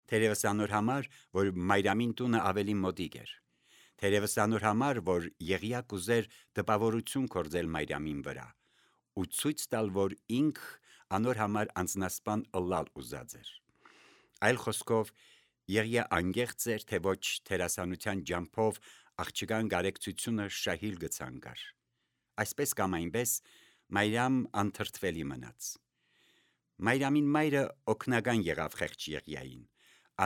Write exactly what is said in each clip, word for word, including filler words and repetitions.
Թերևս անոր համար, որ Մարիամին տունը ավելի մոտիկ էր, թերևս անոր համար, որ Եղիա կուզեր տպավորություն կործել Մարիամին վրա, ու ցույց տալ, որ ինք անոր համար անձնասպան ըլլալ ուզած էր։ Այլ խոսքով, Եղիա անգեղծ էր, թե ոչ թերասանության ջամփով աղջկան գարեկցությունը շահիլ գցանգար։ Այսպես կամ այնպես, Մարիամ անթրթվելի մնաց։ Մարիամին մայրը օգնական եղավ խեղճ Եղիային,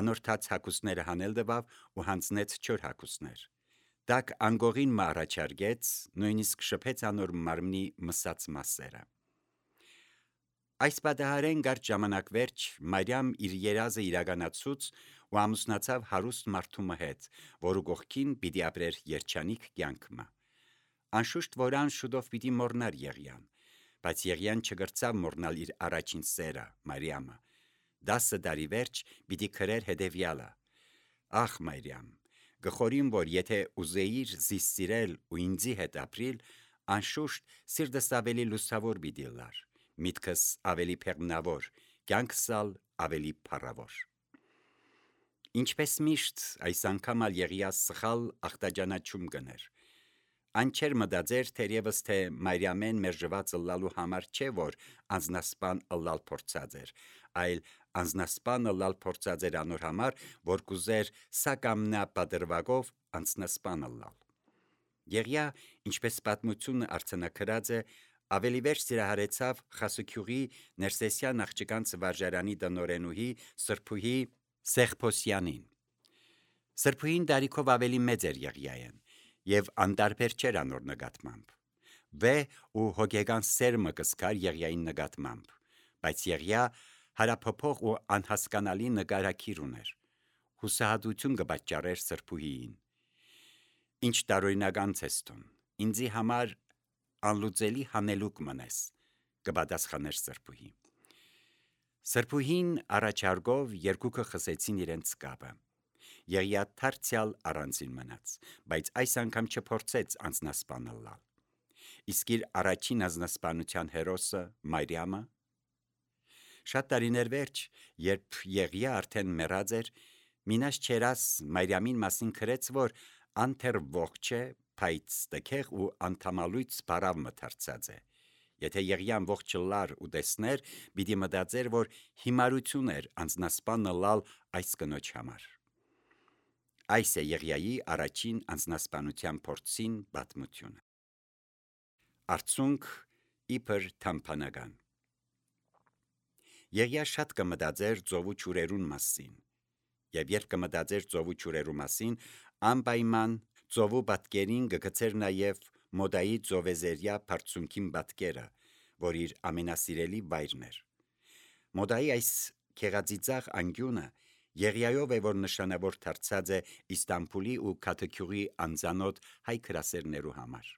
անորթած հագուստները հանել տվավ ու հանձնեց չոր հագուստներ։ Դակ անգողին մը առաջարկեց, նույնիսկ շփեց անոր մարմնի մսած մասերը։ Այս պատահարեն կարճ ժամանակ վերջ Մարիամ իր երազը իրականացուց ու ամուսնացավ հարուստ մարդու հետ, որու կողքին պիտի ապրեր երջանիկ կյանքը։ Անշուշտ որ ան շուտով պիտի մոռնար Եղիան, բայց Եղիան չգրծավ մոռնալ իր առաջին սերը Մարիամը։ Դասը տարի վերջ պիտի քրեր հետևյալը. «Ախ Մարիամ, գխորիմ, որ եթե ուզեիր զիս սիրել ու ինձի հետ ապրիլ, անշուշտ սիրտս ավելի լուսավոր պիտի լար, միտքս ավելի փեղմնավոր, կյանքս ավելի փառավոր»։ Ինչպես միշտ, այս անգամ ալ Եղիա սխալ ախտաջանաչում կներ։ Ան չէր մտածեր թերևս թե Մարիամեն մերժված ըլլալու համար չէ, որ անձնասպան ըլլալ փորձած էր, այլ անձնասպան ըլլալ փորձած էր անոր համար, որ կուզեր սա կամ նա պատրվակով անձնասպան ըլլալ։ Եղիա, ինչպես պատմությունը արձանագրած է, ավելի վերջ սիրահարեցավ Խասուքյուղի Ներսեսյան աղջկանց վարժարանի տնօրենուհի Սրբուհի Սեղփոսյանին։ Սրբուհին տարիքով ավելի մեծ էր Եղիային և անտարբեր չէր անոր նկատմամբ։ Վեհ ու հոգեկան սերմը կսկար Եղիային նկատմամբ, բայց Եղիա հարափոփող ու անհասկանալի նկարագիր ուներ, հուսահատություն կպատճառեր Սրբուհիին։ «Ինչ տարօրինական ես դու, ինձի համար անլուծելի հանելուկ մնես», կպատասխաներ Սրբուհին։ Սրբուհին առաջարկով երկուքը խսեցին իրենց կապը։ Եղիա դարձյալ առանձին մնաց, բայց այս անգամ չփորձեց անձնասպան ըլլալ։ Իսկ իր առաջին անձնասպանության հերոսը Մարիամը։ Շատ տարիներ վերջ, երբ Եղիա արդեն մեռած էր, մինաս չերաս Մարիամին մասին գրեց, որ ան դեռ ողջ է, բայց տքեղ ու անդամալույծ բարավ մթարցած է։ Եթե Եղիան ողջ լար ու տեսներ, պիտի մտածեր, որ հիմարություն էր անձնասպան ըլլալ այս կնոջ համար։ Այս է Եղիայի առաջին անձնասպանության փորձին պատմությունը։ Արդյունք իբր թամփանական։ Եղիա շատ կմտածեր ծովու ջուրերուն մասին, և երբ կմտածեր ծովու ջուրերու մասին, անպայման ծովու պատկերին կգցեր նաև Մոդայի ծովեզերյա բարձունքին պատկերը, որ իր ամենասիրելի վայրն էր։ Մոդայի այս գեղածիծաղ անկյունը Եղիայով է, որ նշանավոր դարձած է Իստանբուլի ու Քաթեքյուղի անծանոթ հայ գրասերներու համար։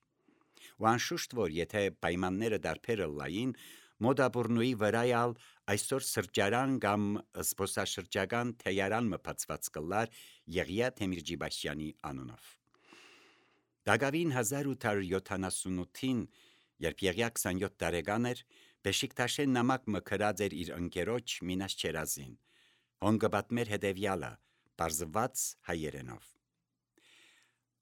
Ու անշուշտ որ եթե պայմանները դարբեր ըլլային, Մոդաբուրնուի վրայալ այսօր սրճարան կամ զբոսաշրջական թեյարան մը բացված կլար Եղիա Թեմիրջիբաշյանի անունով։ Դակավին հազար ութ հարյուր յոթանասունութին, երբ Եղիա քսանյոթ տարեկան էր, Բեշիկտաշեն նամակ մը գրած էր իր ընկերոջ Մինաս Չերազին, հոն կը պատմեր հետևյալը, պարզված հայերենով.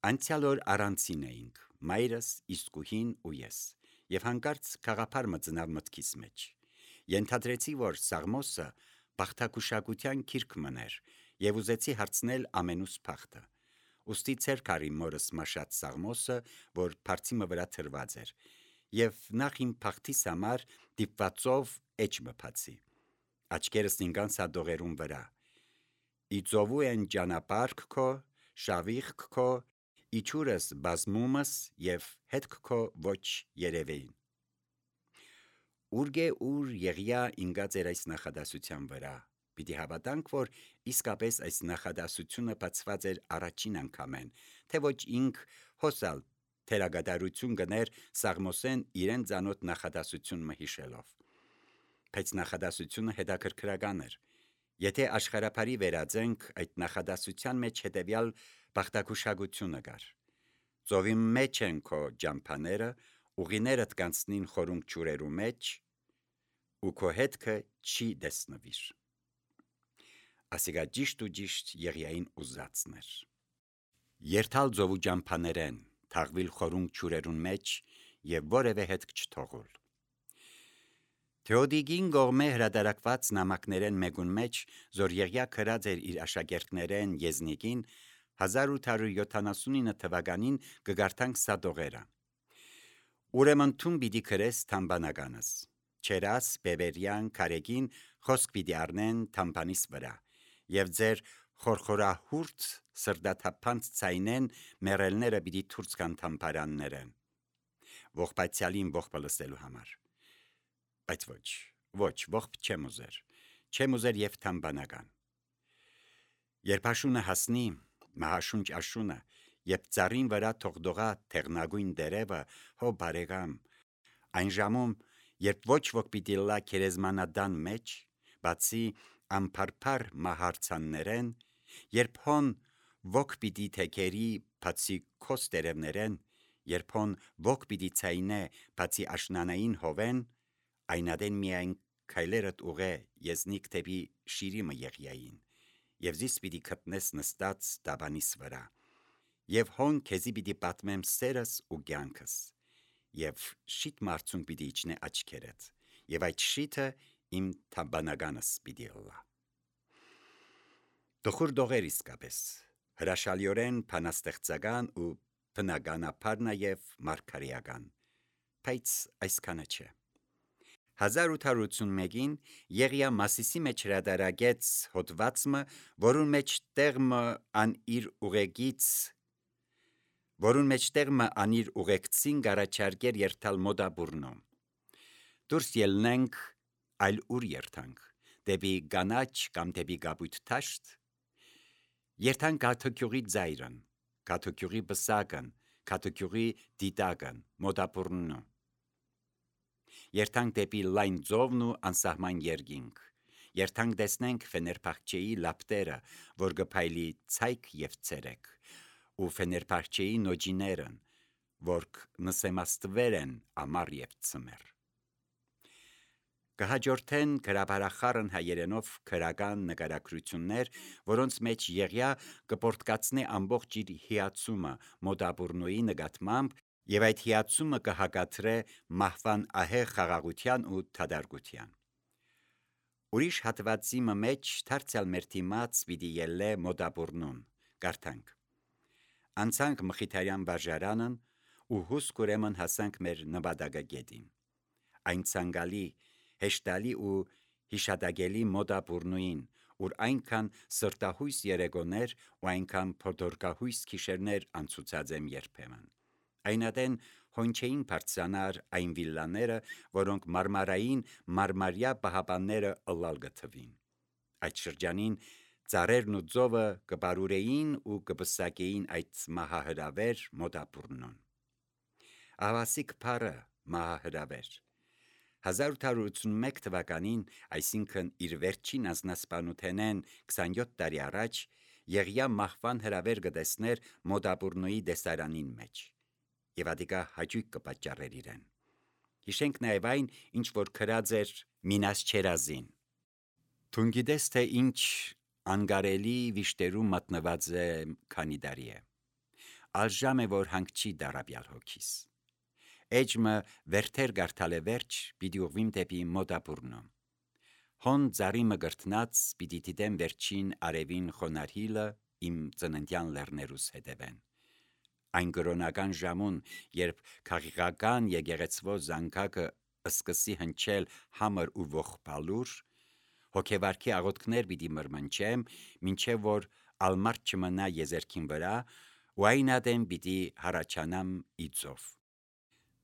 «Անցյալ օր առանցին էինք, մայրս, իսկուհին ու ես, և հանկարծ գաղափար մը ծնավ մտքիս մեջ։ Ենթադրեցի, որ Սաղմոսը բախտագուշակության գիրք մըներ, և ուզեցի հարցնել ամենուս բախտը։ Ուստի ձեռք առի մորս մաշած Սաղմոսը, որ բարձի մը վրա դրված էր, և նախ իմ բախտիս համար դիպվածով էջ մը բացի։ Աչքերս ընկան սադողերուն վրա. «Իծովու են ճանապարհք քո, շավիղք քո, իջուրս բազմումս և հետք քո ոչ երևեին»։ Ուր գե ուր Եղիա ընկած էր այս նախադասության վրա։ Պիտի հավատանք, որ իսկապես այս նախադասությունը բացված էր առաջին անգամեն, թե ոչ ինք հոսալ թերագադարություն գներ Սաղմոսեն իրեն ծանոթ նախադասություն մը հիշելով։ Բայց նախադասությունը հետաքրքրական էր։ Եթե աշխարհափարի վերածենք, այդ նախադասության մեջ հետևյալ բախտագուշակությունը կար. «Ծովի մեջ են քո ջամփաները, ուղիներդ կանցնին խորունկ ջուրերու մեջ, ու քո հետքը չի տեսնվիր»։ ասիգա ճիշտ ու ճիշտ Եղիային ուզածներ։ Երթալ ծովու ջամփաներեն, թաղվիլ խորունգ ճուրերուն մեջ եւ որևէ հետք չթողուլ։ Թեոդիգին գողմե հրադարակված նամակներեն մեկուն մեջ, զոր Եղիա քրած էր իր աշակերտներեն Եզնիկին, հազար ութ հարյուր յոթանասունինը թվականին կգարտանք Սադողերը։ Ուրեմն թուն պիտի քրես թամբանականս, չերաս բևերյան քարեգին խոսք պիտի առնեն թամբանիս վրա, եւ ձեր խորխորահուրդ սրդաթափանց ցայնեն մերելները պիտի թուրց կան թամբարաններեն, ողբացյալին ողբը լսելու համար։ Բայց ոչ, ոչ, ողբ չեմ ուզեր, չեմ ուզեր եւ թամբանական։ Երբ աշունը հասնի, մահաշունչ աշունը, երբ ծառին վրա թողդողա թեղնագույն դերևը, հո բարեկամ, այն ժամում, երբ ոչ ոք պիտի լա քերեզմանադան մեջ, բացի ամփարփար մահարցաններեն, երբ հոն ոք պիտի թեքերի բացի քոս տերևներեն, երբ հոն ոք պիտի ցայնե բացի աշնանային հովեն, այնադեն միայն քայլերդ ուղե Եզնիկ դեպի շիրիմը Եղիային, եւ զիս պիտի գտնես նստած դաբանիս վրա, եւ հոն քեզի պիտի պատմեմ սերս ու կյանքս, եւ շիտ մարցուն պիտի իջնե աչքերդ, եւ այդ շիթը իմ թամբանականս պիտի լա։ Տխուր դողեր իսկապես, հրաշալիորեն փանաստեղծական ու բնականաբար նաեւ մարգարեական, բայց այսքանը չէ։ հազար ութ հարյուր ութսունմեկին Եղիա Մասիսի մեջ հրադարագեց հոդվածը, որուն մեջ տեղը ան իր ուղեկից, որուն մեջ տեղը ան իր ուղեկցին գարաչարգեր երթալ մոդաբուրնում։ Դուրս ելնենք այլ ուր երթանք, դեպի գանաչ կամ դեպի գաբույտ թաշտ, երթանք Կաթոքյուղի ձայրն, Կաթոքյուղի բսակն, Կաթոքյուղի դիտակն, մոդաբուրնում։ Երթանք դեպի լայն ծովն ու անսահման երկինք, երթանք տեսնենք Ֆեներբախչեի լապտերը, որ գփայլի ցայք եւ ցերեկ, ու Ֆեներբախչեի նոջիներն, որ նսեմաստվեր են ամառ եւ ցմեր։ Կհաջորդեն գրաբարախառն հայերենով քրական նկարագրություններ, որոնց մեջ Եղիա կպորտկացնե ամբողջ իր հիացումը մոդաբուրնոյի նկատմամբ եւ այդ հիացումը կհակադրե մահվան ահեղ խաղաղության ու թադարգության։ Ուրիշ հատվածի մեջ դարձյալ մեր դիմաց պիտի ելլե մոդաբուրնուն, կարդանք. Անցանք Մխիթարյան վարժարանն ու հուսք ուրեմն հասանք մեր նպատակագետին։ Այն ցանկալի, հեշտալի ու հիշադակելի մոդաբուրնուին, ուր այնքան սրտահույս երեկոներ ու այնքան փոթորկահույս գիշերներ անցուցած եմ երբեմն։ Այնադեն հոն չէին բարձրանար այն վիլլաները, որոնք մարմարային մարմարյա պահապանները ըլլալ գթվին։ Այդ շրջանին ծառերն ու ծովը կբարուրեին ու կբսակեին այդ մահահրավեր մոդաբուրնուն։ Ավասիկ փարը մահահրավեր։ հազար ութ հարյուր ութսունմեկ թվականին, այսինքն իր վերջին անձնասպանութենեն քսանյոթ տարի առաջ, Եղիա մահվան հրավեր կտեսներ մոդաբուրնոյի դեսարանին մեջ, եւ ադիկա հաճույք կպատճառեր իրեն։ Հիշենք նաեւ այն, ինչ որ քրած էր Մինաս Չերազին։ Դուն գիտես, թե ինչ անգարելի վիշտերում մատնված է քանի տարի է։ Ալժամ է, որ հանգչի դարաբյալ հոգիս։ Էջմը վերթեր գարտալ է վերջ, պիտի ուղվիմ դեպի մոդաբուրնո։ Հոն ծառիմը գրտնած, պիտի դիտեմ վերջին արևին խոնարհիլը իմ ծննդյան լեռներուս հետևեն։ Այն կրոնական ժամուն, երբ քաղաքական եկեղեցվո զանգակը սկսի հնչել համր ու ողբալուր, հոգեվարքի աղոթքներ պիտի մրմնջեմ, մինչև որ ալմարտ չմնա եզերքին վրա, ու այնադեմ պիտի հառաչանամ իծով։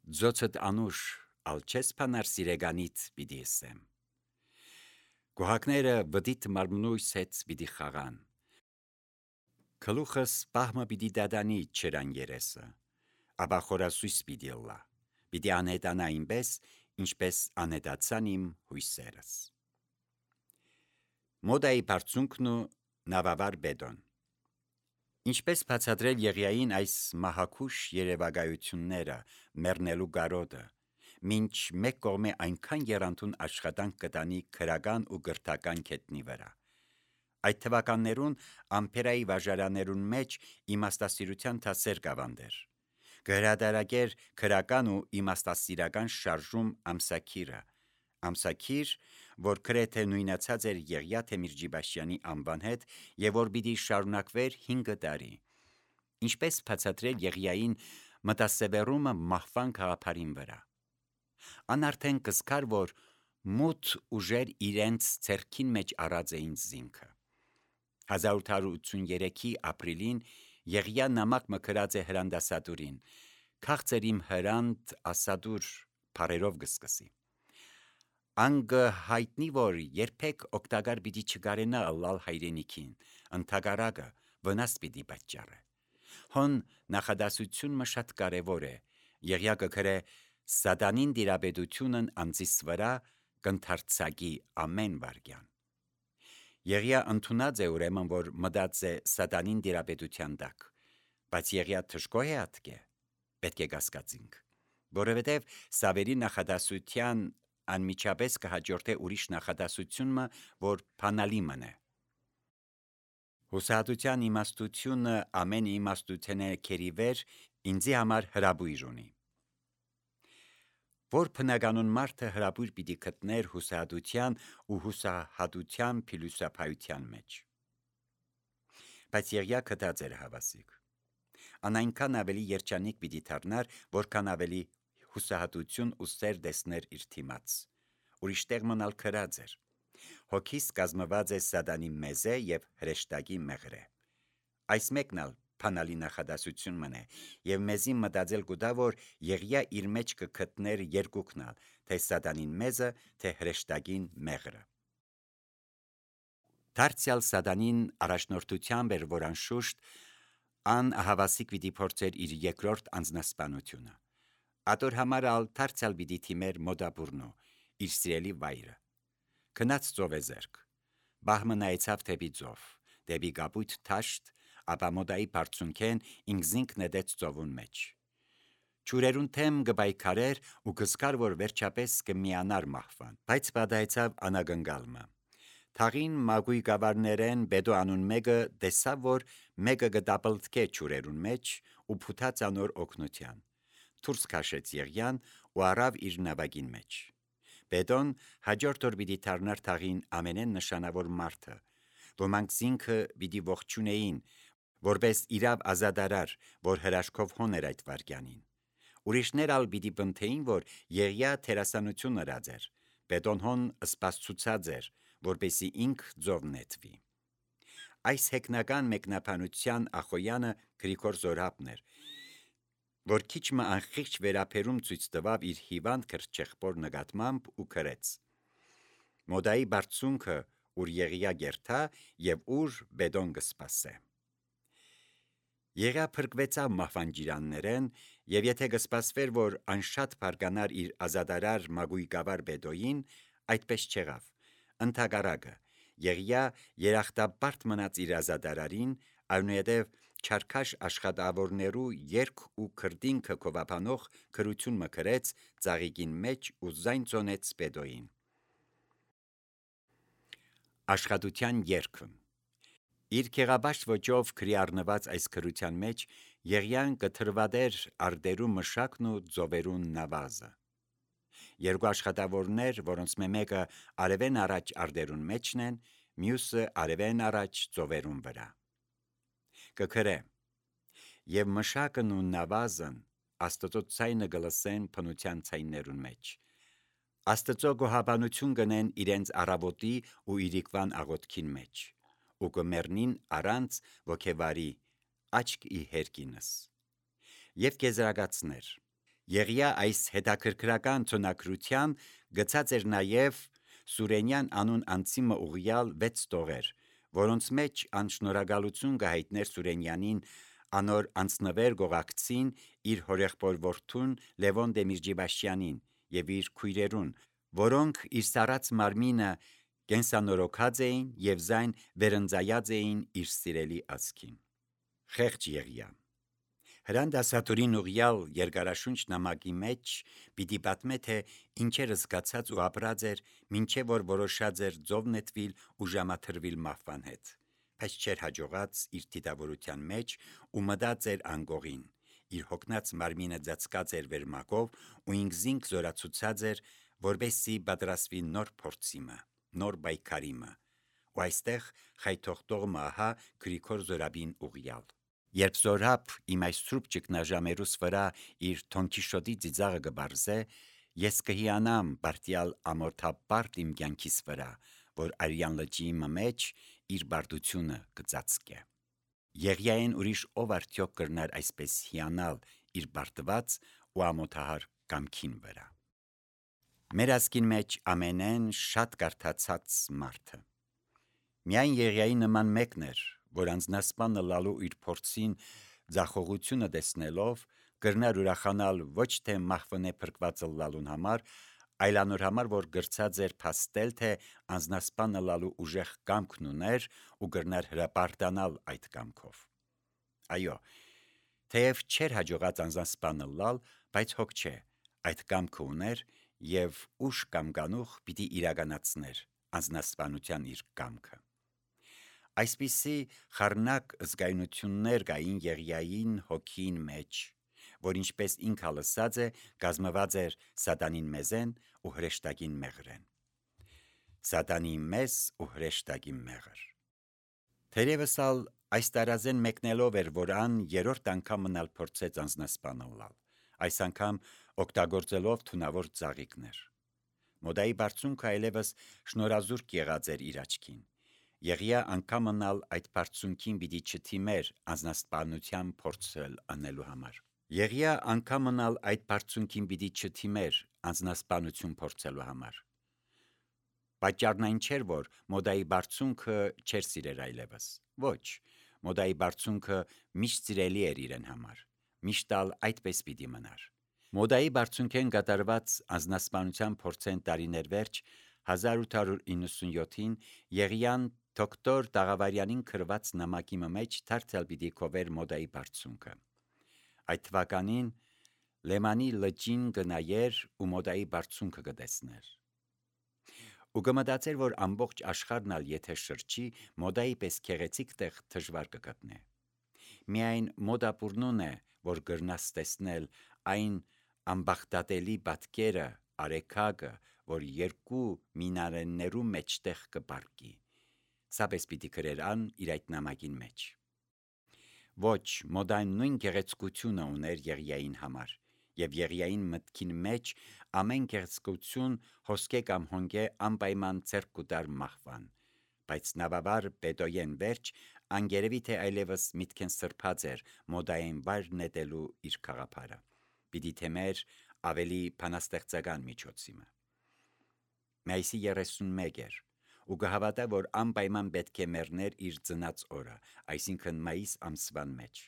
Ձոցդ անուշ, ալ չես փանար սիրեգանիտ պիտի ասեմ։ Գոհակները վդիտ մարմնույս հետ պիտի խաղան։ Քլուխս պահմը պիտի դադանի չրան երեսը, ապա խորասույս պիտի լա, պիտի անհետանա այնպես, ինչպես անհետացան իմ հույսերս։ Մոդայի բարձունքն ու նավավար բեդոն։ Ինչպես բացատրել Եղիային այս մահակուշ երևակայությունները, մեռնելու գարոտը, մինչ մեկ կողմե այնքան եռանդուն աշխատանք կտանի քրական ու գրթական քետնի վրա։ Այդ թվականներուն ամպերայի վաժարաներուն մեջ իմաստասիրության թասեր կավանդեր։ Կհրադարագեր քրական ու իմաստասիրական շարժում ամսաքիրը, ամսաքիր, որ գրեթե նույնացած էր Եղիա Թեմիրջիբաշյանի անվան հետ եւ որ պիտի շարունակվեր հինգ տարի։ Ինչպես բացատրել Եղիային մտասևեռումը մահվան գաղափարին վրա։ Ան արդեն կզկար, որ մութ ուժեր իրենց ձեռքին մեջ առած էին զինքը։ հազար ութ հարյուր ութսուններեքի ապրիլին Եղիա նամակ մկրած է հրանդասատուրին, քաղցր իմ հրանդ ասադուր բարերով գսկսի։ Անգը հայտնի, որ երբեք օգտագար պիտի չգարենա ըլլալ հայրենիքին, ընդհակառակը վնաս պիտի պատճառը։ Հոն նախադասությունը շատ կարևոր է, Եղիա կգրե սատանին դիրապետությունն անձիս վրա կընթարցակի ամեն վարքյան։ Եղիա ընդունած է ուրեմն, որ մտած է սատանին դիրապետության տակ, բայց Եղիա թշկո է ատկե, պետք է կասկածինք, որովհետև Սավերի նախադասության անմիջապես կհաջորդե ուրիշ նախադասությունը, որ բանալի մնե։ Հուսահատության իմաստությունը ամեն իմաստությունը քերիվեր ինձի համար հրաբույր ունի։ Որ բնականon մարդը հրաբույր պիտի գտներ հուսահատության ու հուսահատության փիլիսոփայության մեջ։ Բայց Եղիա գտած էր հավասիկ։ Ան այնքան ավելի երջանիկ պիտի դառնար, որքան ավելի հուսահատություն ու սեր տեսներ իր թիմաց։ Ուրիշ տեղ մնալ քրած էր։ Հոգիս կազմված է սատանի մեզե եւ հրեշտակի մեղրե։ Այս մեկնալ բանալի նախադասություն մնե եւ մեզի մտածել կուտա, որ Եղիա իր մեջ կգտներ երկուքնալ, թե սատանին մեզը, թե հրեշտակին մեղրը։ Դարձյալ սատանին առաջնորդությամբ էր, որ անշուշտ ան հավասիկ պիտի փորձեր իր երկրորդ անձնասպանությունը։ Ատոր համար ալ դարձյալ պիտի թիմեր մոդաբուրնո, իր սիրելի վայրը։ Գնաց ծովեզերք, բահմը նայեցավ դեպի ծով, դեպի կապույտ թաշտ, ապա մոդայի բարձունքեն ինքզինք նետեց ծովուն մեջ։ Ջուրերուն թեմ կբայքարեր ու կզկար, որ վերջապես կմիանար մահվան, բայց պատահեցավ անագնգալմը։ Թաղին մագույ գավարներեն բեդո անուն մեկը տեսավ, որ մեկը կտապլտկե ջուրերուն մեջ ու փութած անոր օգնության։ Դուրս քաշեց Եղիան ու առավ իր նավակին մեջ։ Բեդոն հաջորդ օր պիտի դառնար թաղին ամենեն նշանավոր մարդը, ոմանք զինքը պիտի ողջունեին, որպես իրավ ազադարար, որ հրաշքով հոներ այդ վարքյանին։ Ուրիշներ ալ պիտի բնթեին, որ Եղիա թերասանություն ըրած էր, Բեդոն հոն սպասցուցած էր, որպեսի ինք ձով նետվի։ Այս հեգնական մեկնաբանության ախոյանը Գրիգոր Զորհաբն էր, որ քիչմը անխիղճ վերապերում ցույց տվավ իր հիվանդ քրճեղբոր նկատմամբ ու գրեց. Մոդայի բարձունքը, ուր Եղիա գերթա եւ ուր Բեդոն կսպասե։ Եղիա փրկվեցավ մահվան ջիրաններեն եւ եթե կսպասվեր, որ անշատ բարգանար իր ազադարար մագույկավար Բեդոյին, այդպես չեղավ։ Ընդհակառակը Եղիա երախտապարտ մնաց իր ազադարարին, այնուհետև չարքաշ աշխատավորներու երկ ու քրդինքը կովապանող քրություն մկրեց ծաղիկին մեջ ու զայն ծոնեց Բեդոյին։ Աշխատության երգը։ Իր քեղաբաշտ ոճով քրի առնված այս քրության մեջ Եղիան կթրվադեր արդերու մշակն ու ձովերուն նավազը։ Երկու աշխատավորներ, որոնց մեկը արևեն առաջ արդերուն մեջն են, մյուսը արևեն առաջ ձովերուն վրա։ Կգրե. Եվ մշակն ու նավազն Աստծո ցայնը գլսեն փնության ցայներուն մեջ։ Աստծո գոհաբանություն գնեն իրենց առավոտի ու իրիկվան աղոթքին մեջ, ու կմեռնին առանց ոգևարի աչք ի հերկինս։ Եվ կեզրակացներ. Եղիա այս հետաքրքրական ցոնակրության գծած էր նաև Սուրենյան անուն անցիմը ուղյալ վեց տողեր, որոնց մեջ անշնորհակալություն կհայտներ Սուրենյանին անոր անցնվեր գողակցին իր հորեղբոր որդուն Լևոն Դեմիրճիբաշյանին եւ իր քույրերուն, որոնք իր սառած մարմինը կենսանորոգած էին եւ զայն վերընծայած էին իր սիրելի ազգին։ Խեղճ Եղիա։ Հրանդասատուրին ուղյալ երկարաշունչ նամակի մեջ պիտի պատմե, թե ինչեր զգացած ու ապրած էր, մինչև որ որոշած էր ձով նետվիլ ու ժամաթրվիլ մահվան հետ, բայց չէր հաջողած իր դիտավորության մեջ ու մտած էր անգողին, իր հոգնած մարմինը ծածկած էր վերմակով ու ինքզինք զորացուցած էր, որպեսզի պատրաստվի նոր փորձիմը, նոր պայքարիմը, ու այստեղ խայթողտող մահա Գրիգոր Զորաբին ուղյալ։ Երբ Զորապ իմ այս սուրբ ճգնաժամերուս վրա իր Թոնքիշոտի ծիծաղը կբարձե, ես կհիանամ բարտյալ ամոթապարտ իմ կյանքիս վրա, որ Արյան լճի մեջ իր բարդությունը կծածկե։ Եղիային ուրիշ ով արդյոք կրնար այսպես հիանալ իր բարտված ու ամոթահար կամքին վրա։ Մեր ազգին մեջ ամենեն շատ կարդացած մարդը միայն Եղիայի նման մեկն էր, որ անձնասպանը լալու իր փորձին ձախողությունը տեսնելով կրնար ուրախանալ ոչ թե մահվնե փրկվածը լալուն համար, այլ անոր համար, որ գրծած էր փաստել, թե անձնասպանը լալու ուժեղ կամքն ուներ ու կրնար հրապարտանալ այդ կամքով։ Այո, թեև չէր հաջողած անձնասպանը լալ, բայց հոգ չէ, այդ կամքը ուներ և ուշ կամ կանուխ պիտի իրականացներ անձնասպանության իր կամքը։ Այսպիսի խառնակ զգայունություններ կային Եղիային հոգին մեջ, որ ինչպես ինքը լսած է, կազմված էր սատանին մեզեն ու հրեշտակին մեղրեն։ Սատանի մեզ ու հրեշտակի մեղր։ Թերևս ալ այս տարազեն մեկնելով էր, որ ան երրորդ անգամ մնալ փորձեց անձնասպանը լալ, այս անգամ օգտագործելով թունավոր ծաղիկներ։ Մոդայի բարձունքը այլևս շնորազուրկ եղած էր իր աչքին։ Եղիա անգամ մնալ այդ բարձունքին պիտի չթիմեր անձնասպանության փորձել անելու համար։ Եղիա անգամ մնալ այդ բարձունքին պիտի չթիմեր անձնասպանություն փորձելու համար։ Պատճառն այն չէր, որ մոդայի բարձունքը չէր սիրեր այլևս։ Ոչ, մոդայի բարձունքը միշտ սիրելի էր իրեն համար, միշտ ալ այդպես պիտի մնար։ Մոդայի բարձունքեն կատարված անձնասպանության փորձեն տարիներ վերջ հազար ութ հարյուր իննսունյոթին Եղիան դոկտոր Տաղավարյանին գրված նամակի մեջ դարձյալ պիտի կովեր մոդայի բարձունքը։ Այդ թվականին Լեմանի լճին կնայեր ու մոդայի բարձունքը կտեսներ։ Ու կմտածեր, որ ամբողջ աշխարհն ալ եթե շրջի, մոդայի պես գեղեցիկ տեղ դժվար կգտնե։ Միայն մոդապուրնուն է, որ գրնաս տեսնել այն ամբախտատելի պատկերը, արեգակը, որ երկու մինարեններու մեջտեղ կպարկի։ Սա պես պիտի գրեր ան իր այդ նամակին մեջ։ Ոչ, մոդան նույն գեղեցկությունը ուներ Եղիային համար, և Եղիային մտքին մեջ ամեն գեղեցկություն հոսքե կամ հոնգե անպայման ձեռք կուտար մահվան, բայց նավաբար պետոյեն վերջ անգերևի թե այլևս միտքեն սրբած էր մոդային վայր նետելու իր գաղափարը, պիտի թեմեր ավելի բանաստեղծական միջոցիմը։ Մայիսի երեսունմեկ էր ու կհավատա, որ անպայման պետք է մեռներ իր ծնած օրը, այսինքն մայիս ամսվան մեջ։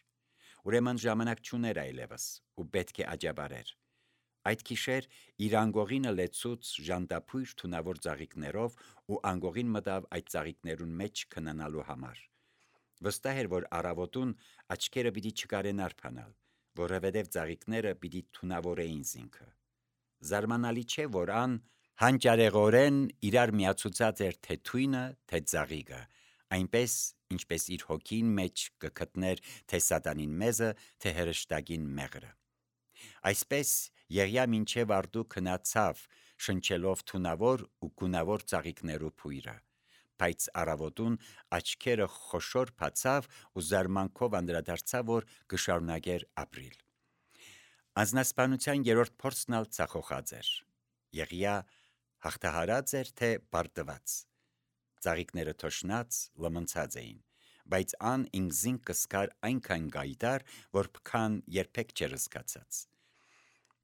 Ուրեմն ժամանակ չուներ այլևս ու պետք է աջաբարեր։ Այդ գիշեր իր անգողինը լեցուց ժանտափույր թունավոր ծաղիկներով ու անգողին մտավ այդ ծաղիկներուն մեջ քնանալու համար։ Վստահ էր, որ առավոտուն աչքերը պիտի չկարենար փանալ, որովհետև ծաղիկները պիտի թունավորեին զինքը։ Զարմանալի չէ, որ ան հանճարեղորեն իրար միացուցած էր թե թույնը, թե ծաղիկը, այնպես, ինչպես իր հոգին մեջ կգտներ թե սատանին մեզը, թե հրեշտակին մեղրը։ Այսպես Եղիա մինչև արդու քնացավ, շնչելով թունավոր ու գունավոր ծաղիկներու փույրը, բայց առավոտուն աչքերը խոշոր բացավ ու զարմանքով անդրադարձավ, որ կշարունակեր ապրիլ։ Անձնասպանության երրորդ փորձն ալ ցախոխած էր։ Եղիա հաղթահարած էր, թե պարտված։ Ծաղիկները թոշնած, լմնցած էին, բայց ան ինքզին կսկար այնքան գայդար, որ փքան երբեք չէր զգացած։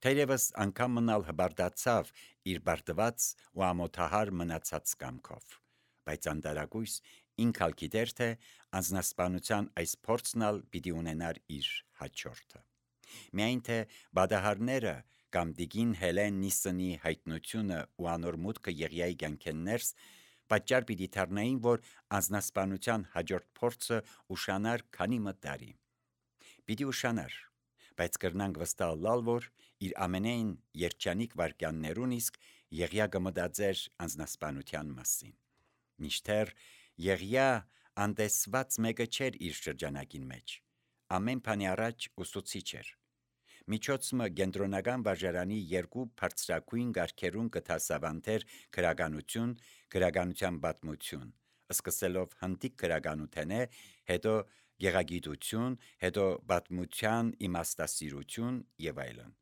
Թերևս անգամ մնալ հբարտացավ իր պարտված ու ամոթահար մնացած կամքով, բայց անտարակույս ինք ալ գիտեր, թե անձնասպանության այս փորձն ալ պիտի ունենար իր հաջորդը։ Միայն թե բադահարները կամ դիգին Հելեն Նիսսոնի հայտնությունը ու անոր մուտքը Եղիայի կյանքեն ներս պատճառ պիտի դառնային, որ անձնասպանության հաջորդ փորձը ուշանար քանի մը տարի։ Պիտի ուշանար, բայց կրնանք վստահ լալ, որ իր ամենայն երջանիկ վարքյաններուն իսկ Եղիա կմտածեր անձնասպանության մասին։ Մինչդեռ Եղիա անտեսված մեկը չէր իր շրջանակին մեջ, ամեն բանի առաջ ուսուցիչ էր։ Միջոցը կենտրոնական վարժարանի երկու բարձրակույն գարքերուն կթասավանթեր գրականություն, գրականության պատմություն, սկսելով հնդիկ գրականութենէ, հետո գեղագիտություն, հետո պատմության իմաստասիրություն եւ այլն։